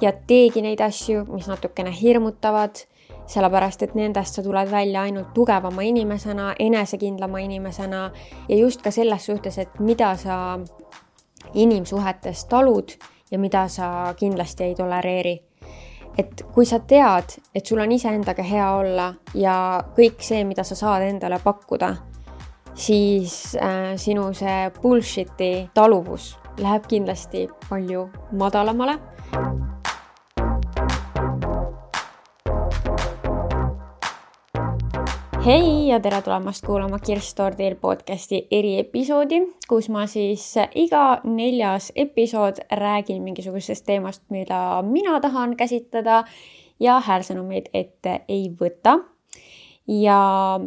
ja teegi neid asju, mis natukene hirmutavad, sellepärast et nendest sa tuled välja ainult tugevama inimesena, enesekindlama inimesena ja just ka selles suhtes, et mida sa inimsuhetes talud ja mida sa kindlasti ei tolereeri. Et kui sa tead, et sul on iseendaga hea olla ja kõik see, mida sa saad endale pakkuda, siis sinu see bullshiti taluvus läheb kindlasti palju madalamale. Hei ja tere tulemast kuulama Kirstordil podcasti eriepisoodi, kus ma siis iga 4. episood räägin mingisugusest teemast, mida mina tahan käsitleda ja häälsõnumeid ette ei võta. Ja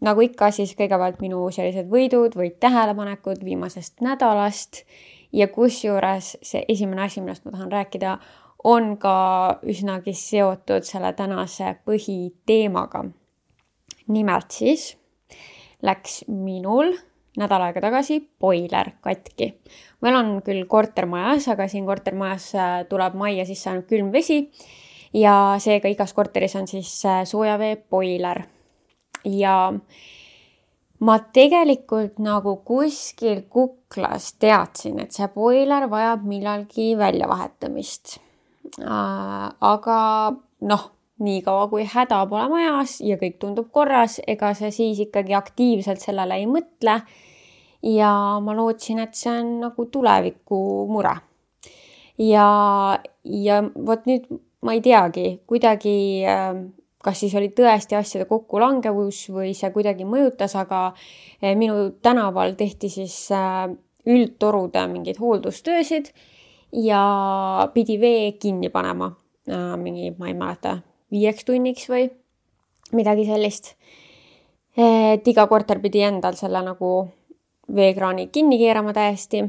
nagu ikka, siis kõigepealt minu sellised võidud või tähelepanekud viimasest nädalast ja kusjuures see esimene asi, millest ma tahan rääkida, on ka üsnagi seotud selle tänase põhiteemaga. Nimelt siis läks minul nädal aega tagasi boiler katki. Meil on küll kortermajas, aga siin kortermajas tuleb majja sisse ainult külm vesi ja seega igas korteris on siis soojavee boiler. Ja ma tegelikult nagu kuskil kuklas teadsin, et see boiler vajab millalgi väljavahetamist. Aga nii kaua kui häda pole majas ja kõik tundub korras, ega see siis ikkagi aktiivselt sellele ei mõtle. Ja ma lootsin, et see on nagu tuleviku mure. Ja vot nüüd ma ei teagi, kuidagi, kas siis oli tõesti asjade kokkulangevus või see kuidagi mõjutas, aga minu tänaval tehti siis üldtorude mingid hooldustöösid ja pidi vee kinni panema. Ma ei mäleta, 5 tunniks või midagi sellist. Et iga korter pidi endal selle nagu veekraani kinni keerama täiesti.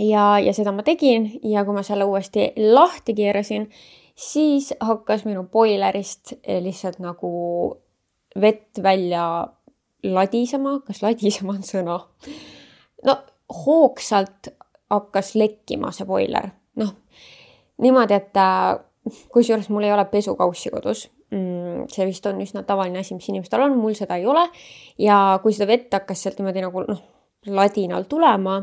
Ja seda ma tegin ja kui ma selle uuesti lahti keerasin, siis hakkas minu boilerist lihtsalt nagu vett välja ladisema. Kas ladisema on sõna? Hoogsalt hakkas lekkima see boiler. Niimoodi, et kusjuures mul ei ole pesukaussi kodus. See vist on üsna tavaline asi, mis inimestel on, mul seda ei ole. Ja kui seda vett hakkas sealt niimoodi nagu ladinal tulema,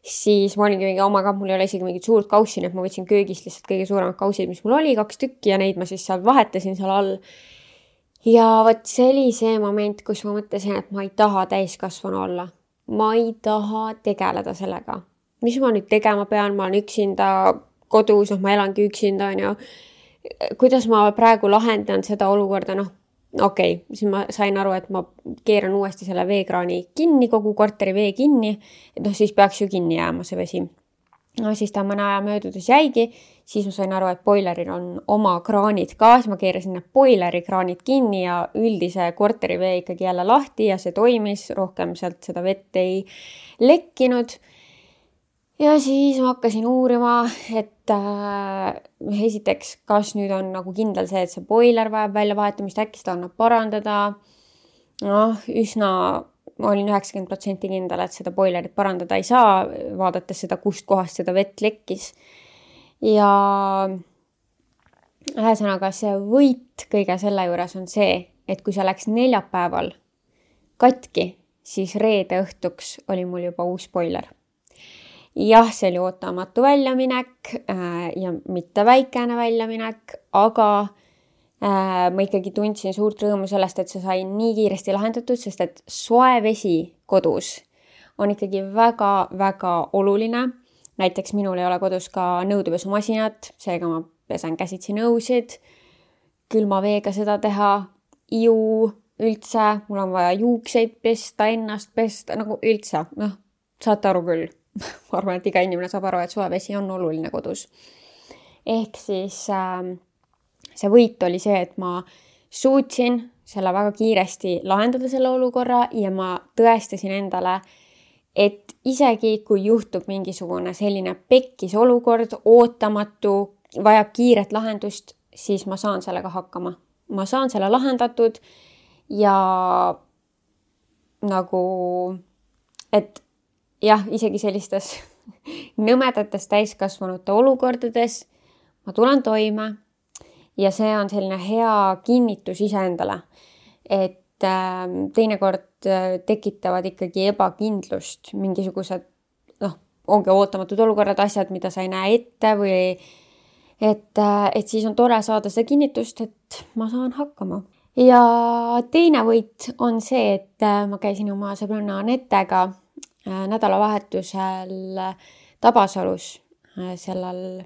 siis ma olingi mingi omaga, mul ei ole isegi mingit suurt kaussi, et ma võtsin köögist lihtsalt kõige suuremad kausid, mis mul oli, 2 tükki ja neid ma siis seal vahetasin seal all. Ja vot see oli see moment, kus ma mõtlesin, et ma ei taha täiskasvanu olla. Ma ei taha tegeleda sellega. Mis ma nüüd tegema pean? Ma olen üksinda kodus, ma elangi üksinda, on ju. Kuidas ma praegu lahendan seda olukorda? Okei, siis ma sain aru, et ma keeran uuesti selle veekraani kinni, kogu korteri vee kinni, et siis peaks ju kinni jääma see vesi. Siis ta mõne aja möödudes jäigi, siis ma sain aru, et boileril on oma kraanid ka, siis ma keerasin need boileri kraanid kinni ja üldise korteri vee ikkagi jälle lahti ja see toimis, rohkem sealt seda vett ei lekkinud. Ja siis ma hakkasin uurima, et esiteks, kas nüüd on nagu kindel see, et see boiler vajab väljavahetamist, äkki seda annab parandada. Ma olin 90% kindel, et seda boilerit parandada ei saa, vaadates seda, kust kohast seda vett lekkis. Ja ühesõnaga see võit kõige selle juures on see, et kui see läks neljapäeval katki, siis reede õhtuks oli mul juba uus boiler. Jah, see oli ootamatu väljaminek ja mitte väikene väljaminek, aga ma ikkagi tundsin suurt rõõmu sellest, et see sai nii kiiresti lahendatud, sest et soe vesi kodus on ikkagi väga-väga oluline. Näiteks minul ei ole kodus ka nõudepesumasinat, seega ma pesen käsitsi nõusid, külma veega seda teha, iu üldse, mul on vaja juukseid pesta, ennast pesta, nagu üldse, saate aru küll. Ma arvan, et iga inimene saab aru, et soevesi on oluline kodus. Ehk siis see võit oli see, et ma suutsin selle väga kiiresti lahendada selle olukorra ja ma tõestasin endale, et isegi kui juhtub mingisugune selline pekkis olukord, ootamatu, vajab kiiret lahendust, siis ma saan sellega hakkama. Ma saan selle lahendatud ja nagu, et jah, isegi sellistes nõmedates täiskasvanute olukordades ma tulen toime ja see on selline hea kinnitus iseendale, et teinekord tekitavad ikkagi ebakindlust mingisugused, ongi ootamatud olukorrad, asjad, mida sa ei näe ette või et siis on tore saada seda kinnitust, et ma saan hakkama. Ja teine võit on see, et ma käisin oma sõbranna Anetega nädalavahetusel Tabasalus sellel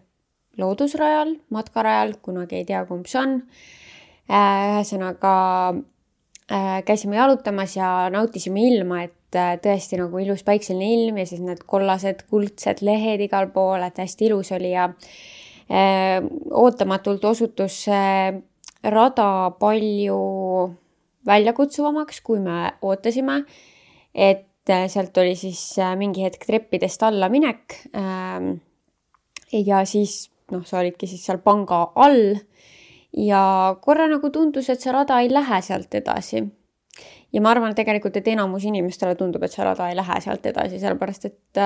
loodusrajal, matkarajal, kunagi ei tea, kumb see on. Ühesõnaga käisime jalutamas ja nautisime ilma, et tõesti nagu ilus päikseline ilm ja siis need kollased, kuldsed lehed igal pool, et hästi ilus oli ja ootamatult osutus rada palju väljakutsuvamaks, kui me ootasime, et sealt oli siis mingi hetk treppidest alla minek ja siis sa olidki siis seal panga all ja korra nagu tundus, et see rada ei lähe sealt edasi. Ja ma arvan, et tegelikult, et enamus inimestele tundub, et see rada ei lähe sealt edasi, sellepärast, et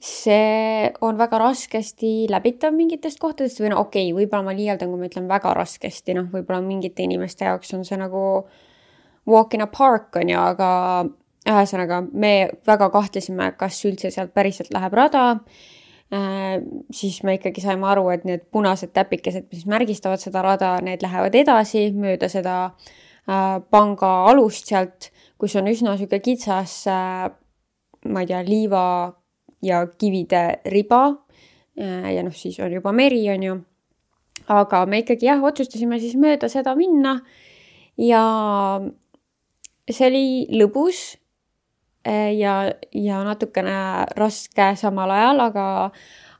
see on väga raskesti läbitav mingitest kohtadest või okei, võib-olla ma liialdan, kui ma ütlen väga raskesti, võib-olla mingite inimeste jaoks on see nagu walk in a park on ju, aga ühesõnaga me väga kahtlesime, kas üldse sealt päriselt läheb rada. Siis me ikkagi saime aru, et need punased täpikesed, mis märgistavad seda rada, need lähevad edasi mööda seda panga alust sealt, kus on üsna süge kitsas, ma ei tea, liiva ja kivide riba ja siis on juba meri on ju. Aga me ikkagi otsustasime siis mööda seda minna ja see oli lõbus ja natukene raske samal ajal,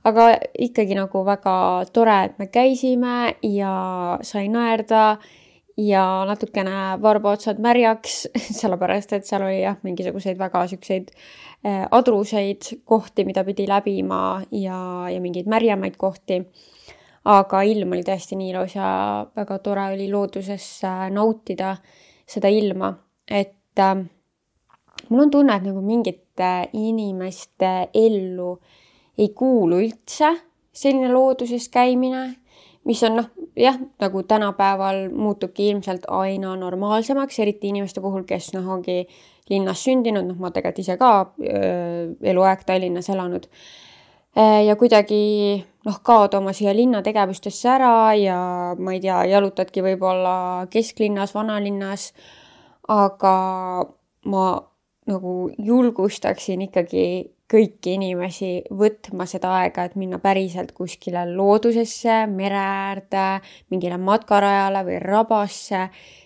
aga ikkagi nagu väga tore, et me käisime ja sai naerda ja natukene varbaotsad märjaks, sellepärast, et seal oli mingisuguseid väga sükseid adruseid kohti, mida pidi läbima ja mingeid märjamaid kohti. Aga ilm oli tõesti nii ilus ja väga tore oli looduses nautida seda ilma, et mul on tunne, et nagu mingite inimeste ellu ei kuulu üldse selline looduses käimine, mis on nagu tänapäeval muutubki ilmselt aina normaalsemaks, eriti inimeste puhul, kes ongi linnas sündinud, ma tegelikult ise ka eluaeg Tallinnas elanud. Ja kuidagi kaod oma siia linna tegevustesse ära ja ma ei tea, jalutadki võib-olla kesklinnas, vanalinnas, aga ma nagu julgustaksin ikkagi kõiki inimesi võtma seda aega, et minna päriselt kuskile loodusesse, mere äärde, mingile matkarajale või rabasse.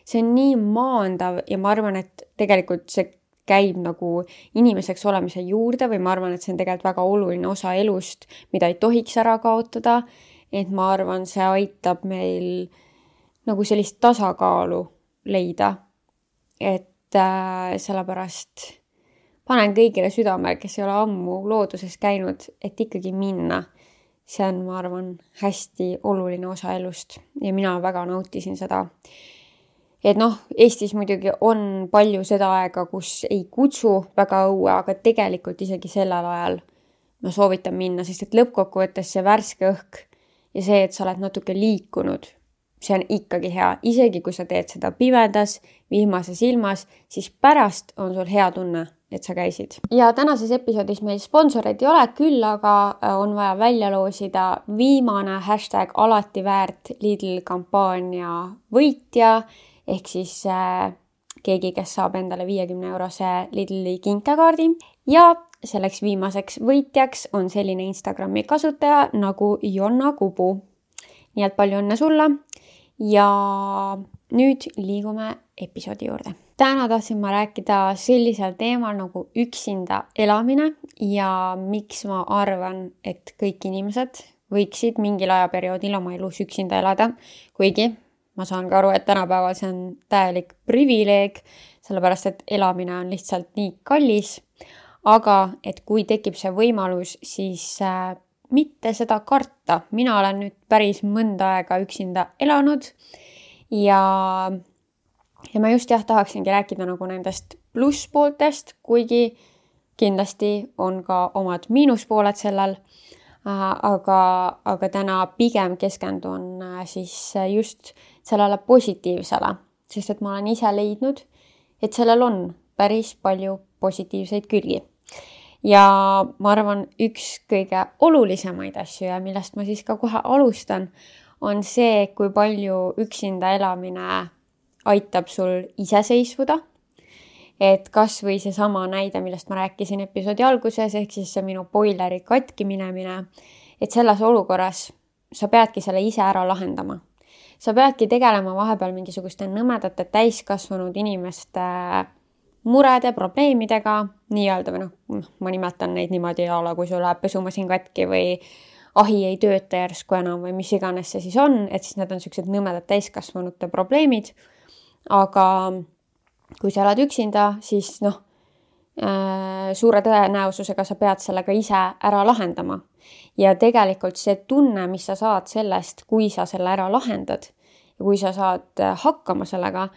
See on nii maandav ja ma arvan, et tegelikult see käib nagu inimeseks olemise juurde või ma arvan, et see on tegelikult väga oluline osa elust, mida ei tohiks ära kaotada. Et ma arvan, see aitab meil nagu sellist tasakaalu leida. Et sellepärast panen kõigile südamele, kes ei ole ammu looduses käinud, et ikkagi minna. See on, ma arvan, hästi oluline osa elust ja mina väga nautisin seda. Et Eestis muidugi on palju seda aega, kus ei kutsu väga õue, aga tegelikult isegi sellel ajal ma soovitan minna, sest et lõppkokkuvõttes see värske õhk ja see, et sa oled natuke liikunud, see on ikkagi hea. Isegi kui sa teed seda pimedas, vihmases ilmas, siis pärast on sul hea tunne, et sa käisid. Ja tänases episoodis meil sponsoreid ei ole, küll aga on vaja välja loosida viimane #alativäärt Lidl kampaania võitja, ehk siis keegi, kes saab endale 50-eurose Lidli kinkekaardi. Ja selleks viimaseks võitjaks on selline Instagrami kasutaja nagu Jonna Kubu. Nii et palju õnne sulle ja nüüd liigume episoodi juurde. Täna tahtsin ma rääkida sellisel teemal nagu üksinda elamine ja miks ma arvan, et kõik inimesed võiksid mingil ajaperioodil oma elus üksinda elada, kuigi ma saan ka aru, et tänapäeval see on täielik privileeg, sellepärast et elamine on lihtsalt nii kallis, aga et kui tekib see võimalus, siis mitte seda karta. Mina olen nüüd päris mõnda aega üksinda elanud ja ma just tahaksingi rääkida nagu nendest plusspooltest, kuigi kindlasti on ka omad miinuspooled sellel. aga täna pigem keskendun siis just sellele positiivsele, sest et ma olen ise leidnud, et sellel on päris palju positiivseid külgi. Ja ma arvan, üks kõige olulisemaid asju ja millest ma siis ka kohe alustan, on see, kui palju üksinda elamine aitab sul iseseisvuda. Et kas või seesama näide, millest ma rääkisin episoodi alguses, ehk siis see minu boileri katki minemine, et selles olukorras sa peadki selle ise ära lahendama. Sa peadki tegelema vahepeal mingisuguste nõmedate täiskasvanud inimeste murede, probleemidega, nii-öelda või ma nimetan neid niimoodi kui sul läheb pesumasin katki või ahi ei tööta järsku enam või mis iganes see siis on, et siis need on sellised nõmedad täiskasvanute probleemid. Aga kui sa oled üksinda, siis suure tõenäosusega sa pead sellega ise ära lahendama. Ja tegelikult see tunne, mis sa saad sellest, kui sa selle ära lahendad ja kui sa saad hakkama sellega,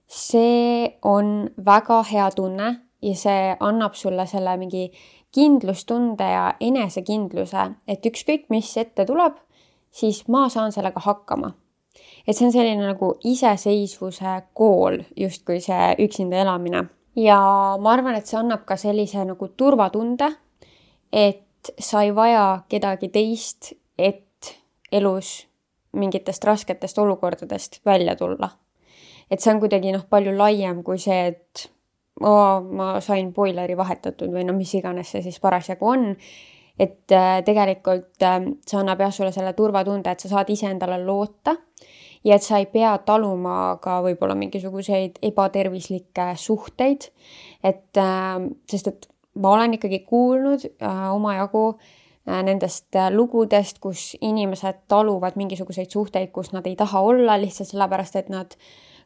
see on väga hea tunne ja see annab sulle selle mingi kindlustunde ja enesekindluse, et ükskõik mis ette tuleb, siis ma saan sellega hakkama. Et see on selline nagu iseseisvuse kool, justkui see üksinda elamine. Ja ma arvan, et see annab ka sellise nagu turvatunde, et sa ei vaja kedagi teist, et elus mingitest rasketest olukordadest välja tulla. Et see on kuidagi palju laiem kui see, et ma sain boileri vahetatud või mis iganes see siis parasjagu on. Et tegelikult see annab sulle selle turvatunde, et sa saad iseendale loota ja et sa ei pea taluma ka võib-olla mingisuguseid ebatervislikke suhteid. Sest et ma olen ikkagi kuulnud omajagu nendest lugudest, kus inimesed taluvad mingisuguseid suhteid, kus nad ei taha olla lihtsalt sellepärast, et nad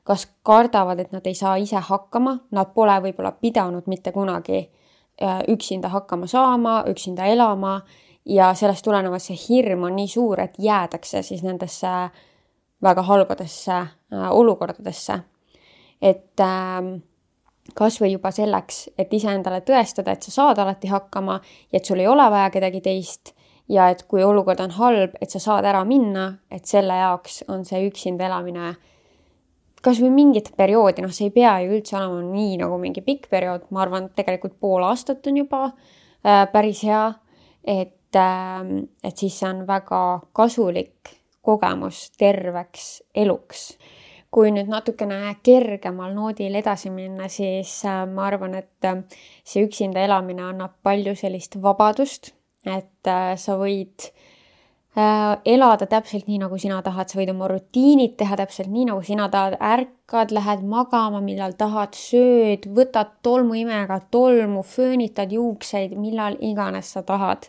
kas kardavad, et nad ei saa ise hakkama, nad pole võib-olla pidanud mitte kunagi üksinda hakkama saama, üksinda elama ja sellest tulenevalt see hirm on nii suur, et jäädakse siis nendesse väga halbadesse olukordadesse. Et kas või juba selleks, et iseendale tõestada, et sa saad alati hakkama ja et sul ei ole vaja kedagi teist ja et kui olukord on halb, et sa saad ära minna, et selle jaoks on see üksinda elamine kas või mingit perioodi, see ei pea ju üldse olema nii nagu mingi pikk periood, ma arvan, et tegelikult pool aastat on juba päris hea, et siis see on väga kasulik kogemus terveks eluks. Kui nüüd natukene kergemal noodil edasi minna, siis ma arvan, et see üksinda elamine annab palju sellist vabadust, et sa võid elada täpselt nii, nagu sina tahad, sa võid oma rutiinid teha täpselt nii, nagu sina tahad, ärkad, lähed magama, millal tahad, sööd, võtad tolmuimega tolmu, föönitad juukseid, millal iganes sa tahad.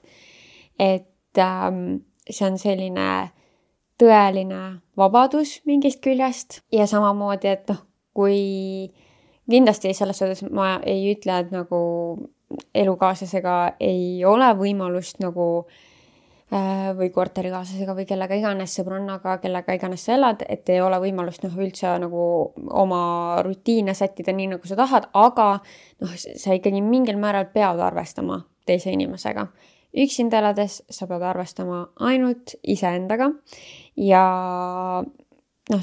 Et see on selline tõeline vabadus mingist küljest ja samamoodi, et kui kindlasti selles suhtes ma ei ütle, et nagu elukaaslasega ei ole võimalust nagu või korterikaaslasega või kellega iganes sõbrannaga, kellega iganes sa elad, et ei ole võimalust üldse nagu oma rutiine sättida nii, nagu sa tahad, aga sa ikkagi mingil määral pead arvestama teise inimesega. Üksinda elades sa pead arvestama ainult iseendaga ja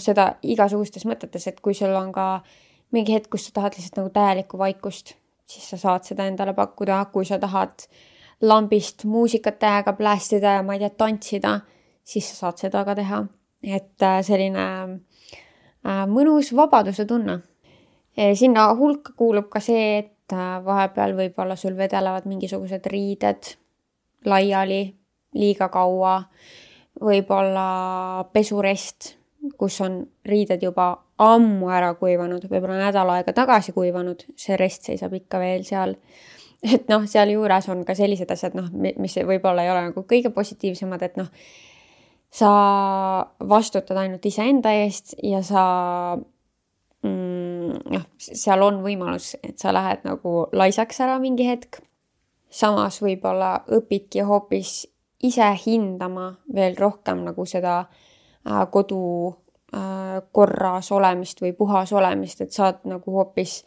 seda igasugustes mõtetes, et kui sul on ka mingi hetk, kus sa tahad lihtsalt nagu täielikku vaikust, siis sa saad seda endale pakkuda, kui sa tahad lambist muusikat tähega plästida ja ma ei tea, tantsida, siis sa saad seda ka teha. Et selline mõnus vabaduse tunne. Sinna hulka kuulub ka see, et vahepeal võib-olla sul vedelevad mingisugused riided laiali liiga kaua, võib-olla pesurest, kus on riided juba ammu ära kuivanud, võib-olla nädal aega tagasi kuivanud, see rest seisab ikka veel seal. Et seal juures on ka sellised asjad, mis võib-olla ei ole nagu kõige positiivsemad, et sa vastutad ainult iseenda eest ja seal on võimalus, et sa lähed nagu laisaks ära mingi hetk. Samas võib-olla õpidki hoopis ise hindama veel rohkem nagu seda kodu korras olemist või puhas olemist, et saad nagu hoopis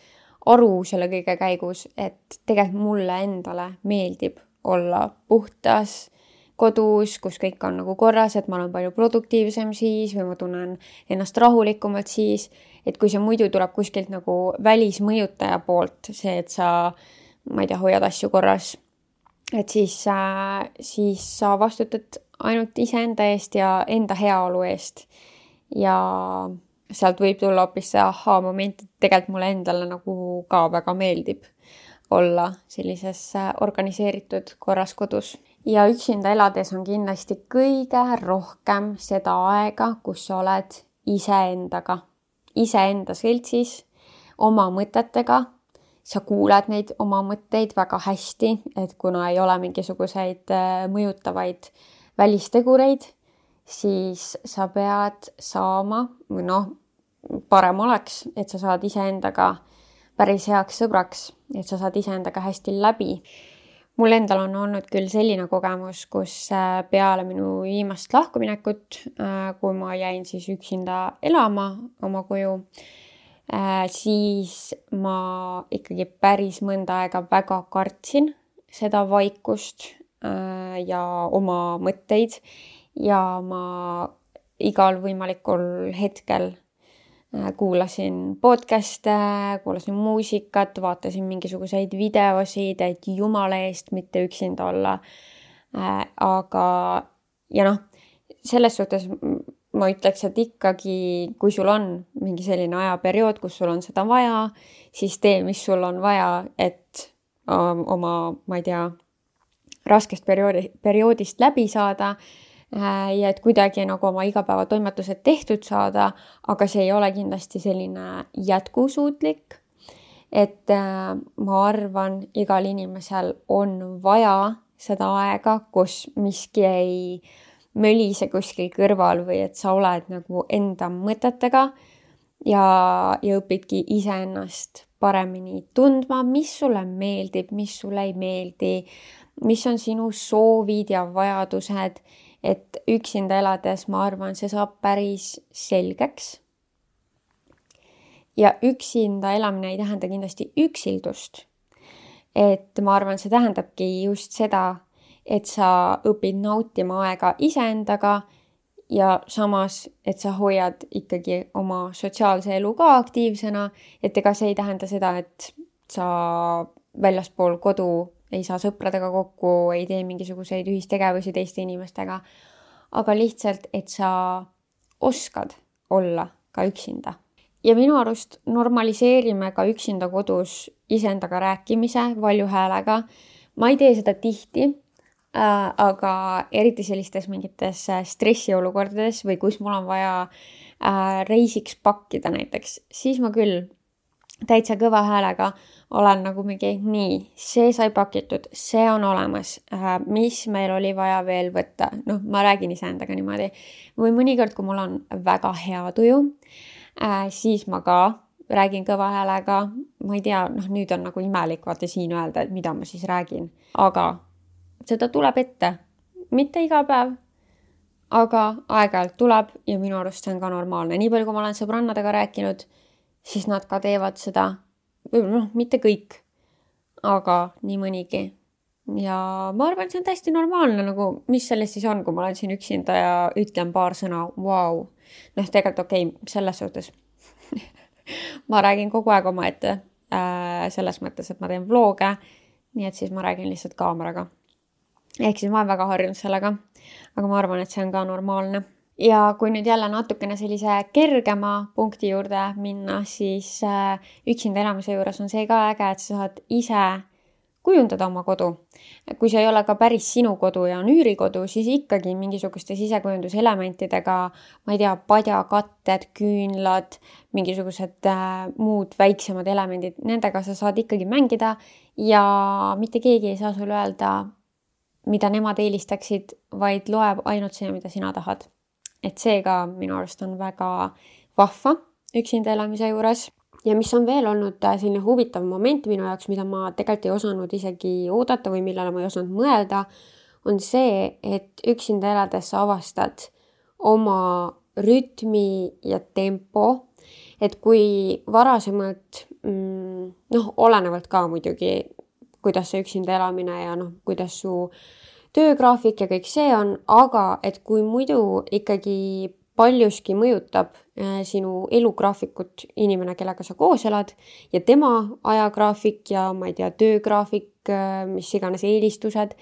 aru selle kõige käigus, et tegelikult mulle endale meeldib olla puhtas, kodus, kus kõik on nagu korras, et ma olen palju produktiivsem siis või ma tunnen ennast rahulikumalt siis, et kui see muidu tuleb kuskilt nagu välismõjutaja poolt, see, et sa, ma ei tea, hoiad asju korras, et siis sa vastutad ainult iseenda eest ja enda heaolu eest. Ja sealt võib tulla hoopis see ahaa-moment, et tegelikult mulle endale nagu ka väga meeldib olla sellises organiseeritud korras kodus. Ja üksinda elades on kindlasti kõige rohkem seda aega, kus sa oled iseenda seltsis, oma mõtetega. Sa kuuled neid oma mõtteid väga hästi, et kuna ei ole mingisuguseid mõjutavaid välistegureid, siis sa pead saama, või parem oleks, et sa saad iseendaga päris heaks sõbraks, et sa saad iseendaga hästi läbi. Mul endal on olnud küll selline kogemus, kus peale minu viimast lahkuminekut, kui ma jäin siis üksinda elama oma koju, siis ma ikkagi päris mõnda aega väga kartsin seda vaikust ja oma mõtteid ja ma igal võimalikul hetkel kuulasin podcast'e, kuulasin muusikat, vaatasin mingisuguseid videosid, et jumala eest mitte üksinda olla. Aga selles suhtes ma ütleks, et ikkagi, kui sul on mingi selline ajaperiood, kus sul on seda vaja, siis tee, mis sul on vaja, et oma, ma ei tea, raskest perioodist läbi saada. Ja et kuidagi nagu oma igapäevatoimetused tehtud saada, aga see ei ole kindlasti selline jätkusuutlik, et ma arvan, igal inimesel on vaja seda aega, kus miski ei mölise kuskil kõrval või et sa oled nagu enda mõtetega ja õpidki iseennast paremini tundma, mis sulle meeldib, mis sulle ei meeldi, mis on sinu soovid ja vajadused. Et üksinda elades, ma arvan, see saab päris selgeks. Ja üksinda elamine ei tähenda kindlasti üksildust. Et ma arvan, see tähendabki just seda, et sa õpid nautima aega iseendaga ja samas, et sa hoiad ikkagi oma sotsiaalse elu ka aktiivsena, et ega see ei tähenda seda, et sa väljaspool kodu ei saa sõpradega kokku, ei tee mingisuguseid ühistegevusi teiste inimestega, aga lihtsalt, et sa oskad olla ka üksinda. Ja minu arust normaliseerime ka üksinda kodus iseendaga rääkimise valju häälega. Ma ei tee seda tihti, aga eriti sellistes mingites stressiolukordades või kus mul on vaja reisiks pakkida näiteks, siis ma küll täitsa kõva häälega olen nagu mingi, nii, see sai pakitud, see on olemas, mis meil oli vaja veel võtta. Ma räägin iseendaga niimoodi. Või mõnikord, kui mul on väga hea tuju, siis ma ka räägin kõva häälega. Ma ei tea, nüüd on nagu imelik vaata siin öelda, et mida ma siis räägin. Aga seda tuleb ette. Mitte iga päev, aga aeg-ajalt tuleb ja minu arust see on ka normaalne. Nii palju, kui ma olen sõbrannadega rääkinud, siis nad ka teevad seda, mitte kõik, aga nii mõnigi. Ja ma arvan, see on täiesti normaalne, nagu mis sellest siis on, kui ma olen siin üksinda ja ütlen paar sõna, vau. Tegelikult okei, selles suhtes. Ma räägin kogu aeg oma ette, selles mõttes, et ma teen vloge, nii et siis ma räägin lihtsalt kaameraga. Ehk siis ma olen väga harjunud sellega, aga ma arvan, et see on ka normaalne. Ja kui nüüd jälle natukene sellise kergema punkti juurde minna, siis üksinda elamise juures on see ka äge, et sa saad ise kujundada oma kodu. Kui see ei ole ka päris sinu kodu ja on üürikodu, siis ikkagi mingisuguste sisekujunduselementidega, ma ei tea, padjakatted, küünlad, mingisugused muud väiksemad elemendid, nendega sa saad ikkagi mängida ja mitte keegi ei saa sulle öelda, mida nemad eelistaksid, vaid loeb ainult see, mida sina tahad. Et see ka minu arust on väga vahva üksinda elamise juures. Ja mis on veel olnud selline huvitav moment minu jaoks, mida ma tegelikult ei osanud isegi oodata või millele ma ei osanud mõelda, on see, et üksinda elades sa avastad oma rütmi ja tempo. Et kui varasemalt, olenevalt ka muidugi, kuidas see üksinda elamine ja kuidas su töögraafik ja kõik see on, aga et kui muidu ikkagi paljuski mõjutab sinu elugraafikut inimene, kellega sa koos elad ja tema ajagraafik ja ma ei tea, töögraafik, mis iganes eelistused,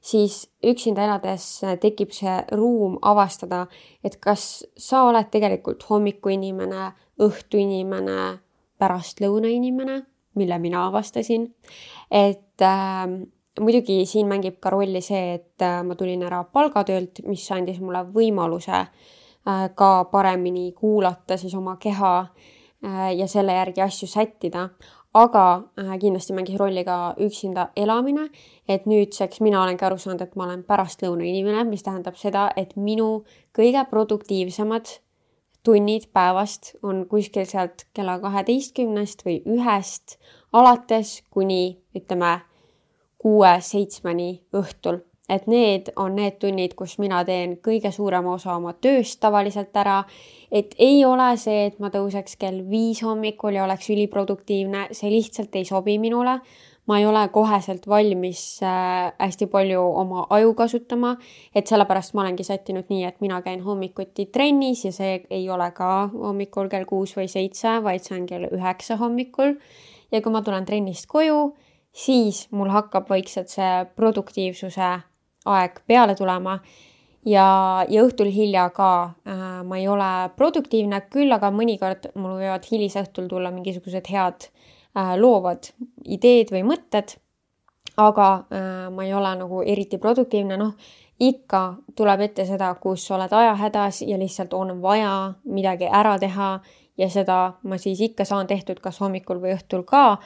siis üksinda elades tekib see ruum avastada, et kas sa oled tegelikult hommikuinimene, õhtuinimene, pärastlõunainimene, mille mina avastasin. Et muidugi siin mängib ka rolli see, et ma tulin ära palgatöölt, mis andis mulle võimaluse ka paremini kuulata siis oma keha ja selle järgi asju sättida. Aga kindlasti mängis rolli ka üksinda elamine, et nüüdseks mina olengi aru saanud, et ma olen pärastlõuna inimene, mis tähendab seda, et minu kõige produktiivsemad tunnid päevast on kuskil sealt kella 12 või 1 alates kuni ütleme 6-7 õhtul. Et need on need tunnid, kus mina teen kõige suurema osa oma tööst tavaliselt ära. Et ei ole see, et ma tõuseks kell 5 hommikul ja oleks üliproduktiivne, see lihtsalt ei sobi minule. Ma ei ole koheselt valmis hästi palju oma aju kasutama, et sellepärast ma olengi sättinud nii, et mina käin hommikuti trennis ja see ei ole ka hommikul kell 6 või 7, vaid see on kell 9 hommikul. Ja kui ma tulen trennist koju, siis mul hakkab vaikselt see produktiivsuse aeg peale tulema ja õhtul hilja ka ma ei ole produktiivne, küll aga mõnikord mul võivad hilisõhtul tulla mingisugused head loovad ideed või mõtted, aga ma ei ole nagu eriti produktiivne, ikka tuleb ette seda, kus oled ajahädas ja lihtsalt on vaja midagi ära teha ja seda ma siis ikka saan tehtud kas hommikul või õhtul ka,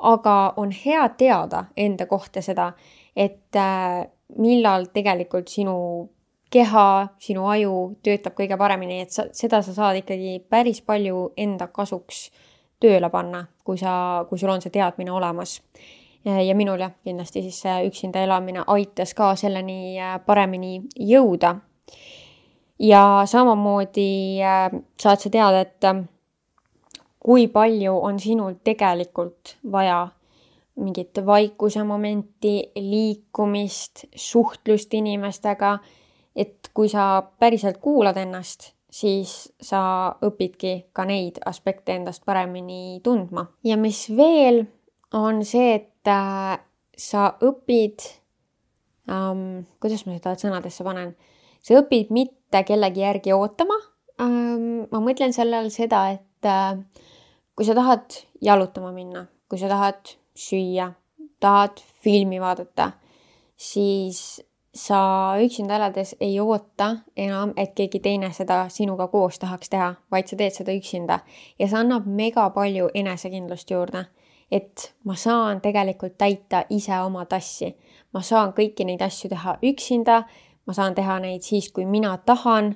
aga on hea teada enda kohta seda, et millal tegelikult sinu keha, sinu aju töötab kõige paremini, et seda sa saad ikkagi päris palju enda kasuks tööle panna, kui sul on see teadmine olemas. Ja minul kindlasti siis see üksinda elamine aitas ka selleni paremini jõuda. Ja samamoodi saad sa teada, et kui palju on sinul tegelikult vaja mingit vaikuse momenti, liikumist, suhtlust inimestega, et kui sa päriselt kuulad ennast, siis sa õpidki ka neid aspekte endast paremini tundma. Ja mis veel on see, et sa õpid, kuidas ma seda sõnadesse panen, sa õpid mitte kellegi järgi ootama. Ma mõtlen sellel seda, et kui sa tahad jalutama minna, kui sa tahad süüa, tahad filmi vaadata, siis sa üksinda elades ei oota enam, et keegi teine seda sinuga koos tahaks teha, vaid sa teed seda üksinda. Ja see annab mega palju enesekindlust juurde, et ma saan tegelikult täita ise oma tassi. Ma saan kõiki neid asju teha üksinda, ma saan teha neid siis, kui mina tahan,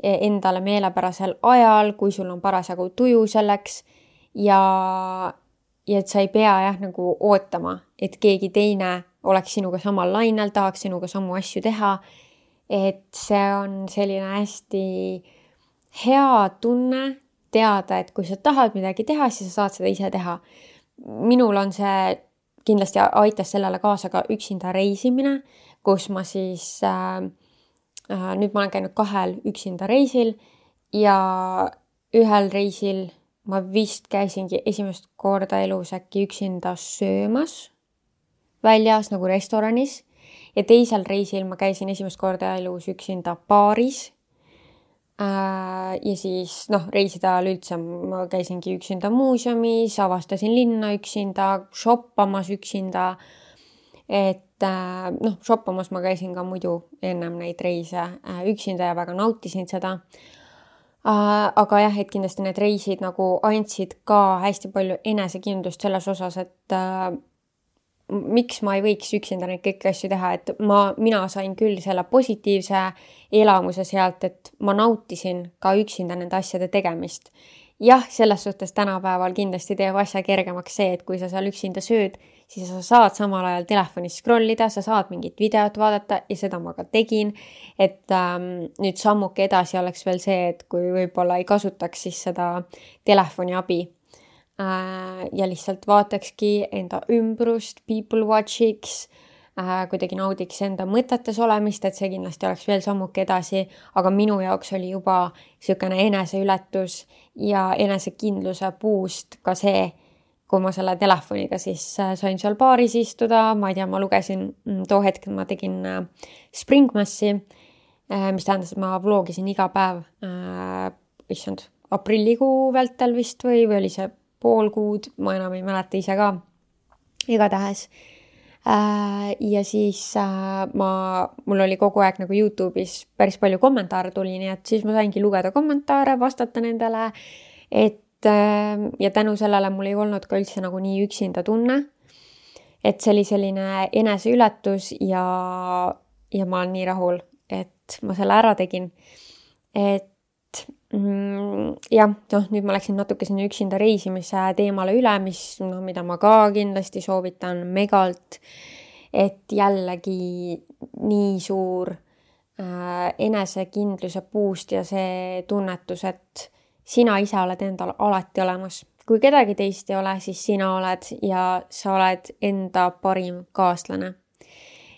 endale meelepärasel ajal, kui sul on parasjagu tuju selleks ja et sa ei pea nagu ootama, et keegi teine oleks sinuga samal lainel, tahaks sinuga samu asju teha. Et see on selline hästi hea tunne teada, et kui sa tahad midagi teha, siis sa saad seda ise teha. Minul on see kindlasti aitas sellele kaasa ka üksinda reisimine, kus ma siis, nüüd ma olen käinud 2 üksinda reisil ja ühel reisil ma vist käisingi esimest korda elus äkki üksinda söömas väljas nagu restoranis ja teisel reisil ma käisin esimest korda elus üksinda baaris ja siis reisida ajal üldse ma käisingi üksinda muuseumis, avastasin linna üksinda, shoppamas üksinda, et shoppamas ma käisin ka muidu ennem neid reise üksinda ja väga nautisin seda. Aga jah, et kindlasti need reisid nagu andsid ka hästi palju enesekindlust selles osas, et miks ma ei võiks üksinda neid kõiki asju teha, et mina sain küll selle positiivse elamuse sealt, et ma nautisin ka üksinda nende asjade tegemist. Jah, selles suhtes tänapäeval kindlasti teeb asja kergemaks see, et kui sa seal üksinda sööd, siis sa saad samal ajal telefonis scrollida, sa saad mingit videot vaadata ja seda ma ka tegin. Et nüüd sammuke edasi oleks veel see, et kui võib-olla ei kasutaks siis seda telefoni abi ja lihtsalt vaatakski enda ümbrust, people watchiks, kuidagi naudiks enda mõtetes olemist, et see kindlasti oleks veel sammuke edasi, aga minu jaoks oli juba niisugune eneseületus ja enesekindluse boost ka see, kui ma selle telefoniga siis sain seal baaris istuda, ma ei tea, ma lugesin, too hetk ma tegin Springmassi, mis tähendas, et ma vlogisin iga päev, aprillikuu vältel vist või oli see pool kuud, ma enam ei mäleta ise ka, igatahes. Ja siis mul oli kogu aeg nagu YouTube'is päris palju kommentaare tuli, nii et siis ma saingi lugeda kommentaare, vastata nendele, ja tänu sellele mul ei olnud ka üldse nagu nii üksinda tunne, et see oli selline eneseületus ja ma olen nii rahul, et ma selle ära tegin. Et jah, nüüd ma läksin natuke sinna üksinda reisimise teemale üle, mida ma ka kindlasti soovitan megalt, et jällegi nii suur enesekindluse boost ja see tunnetus, et sina ise oled endal alati olemas. Kui kedagi teist ei ole, siis sina oled ja sa oled enda parim kaaslane.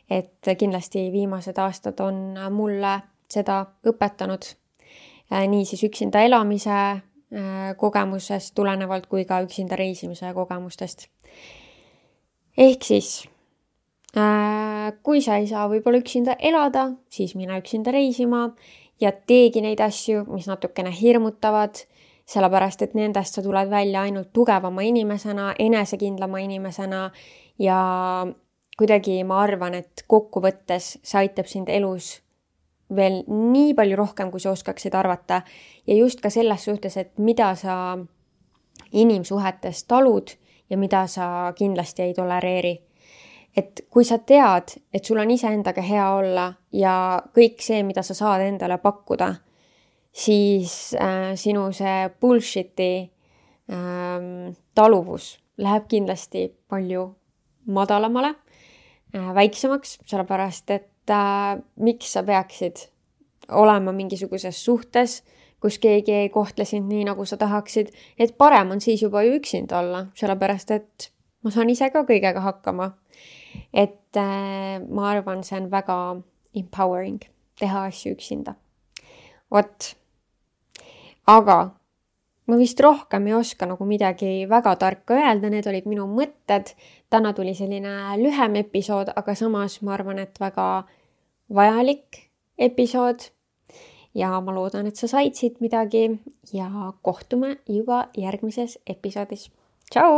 Et kindlasti viimased aastad on mulle seda õpetanud. Nii siis üksinda elamise kogemusest tulenevalt kui ka üksinda reisimise kogemustest. Ehk siis, kui sa ei saa võib-olla üksinda elada, siis mine üksinda reisima ja teegi neid asju, mis natukene hirmutavad, sellepärast et nendest sa tuled välja ainult tugevama inimesena, enesekindlama inimesena ja kuidagi ma arvan, et kokkuvõttes see aitab sind elus veel nii palju rohkem, kui sa oskaksid arvata. Ja just ka selles suhtes, et mida sa inimsuhetes talud ja mida sa kindlasti ei tolereeri. Et kui sa tead, et sul on iseendaga hea olla ja kõik see, mida sa saad endale pakkuda, siis sinu see bullshiti taluvus läheb kindlasti palju madalamale, väiksemaks, sellepärast et miks sa peaksid olema mingisuguses suhtes, kus keegi ei kohtle sind nii, nagu sa tahaksid, et parem on siis juba ju üksinda olla, sellepärast et ma saan ise ka kõigega hakkama. Et ma arvan, see on väga empowering teha asju üksinda. Aga ma vist rohkem ei oska nagu midagi väga tarka öelda, need olid minu mõtted. Täna tuli selline lühem episood, aga samas ma arvan, et väga vajalik episood. Ja ma loodan, et sa said siit midagi ja kohtume juba järgmises episoodis. Tšau!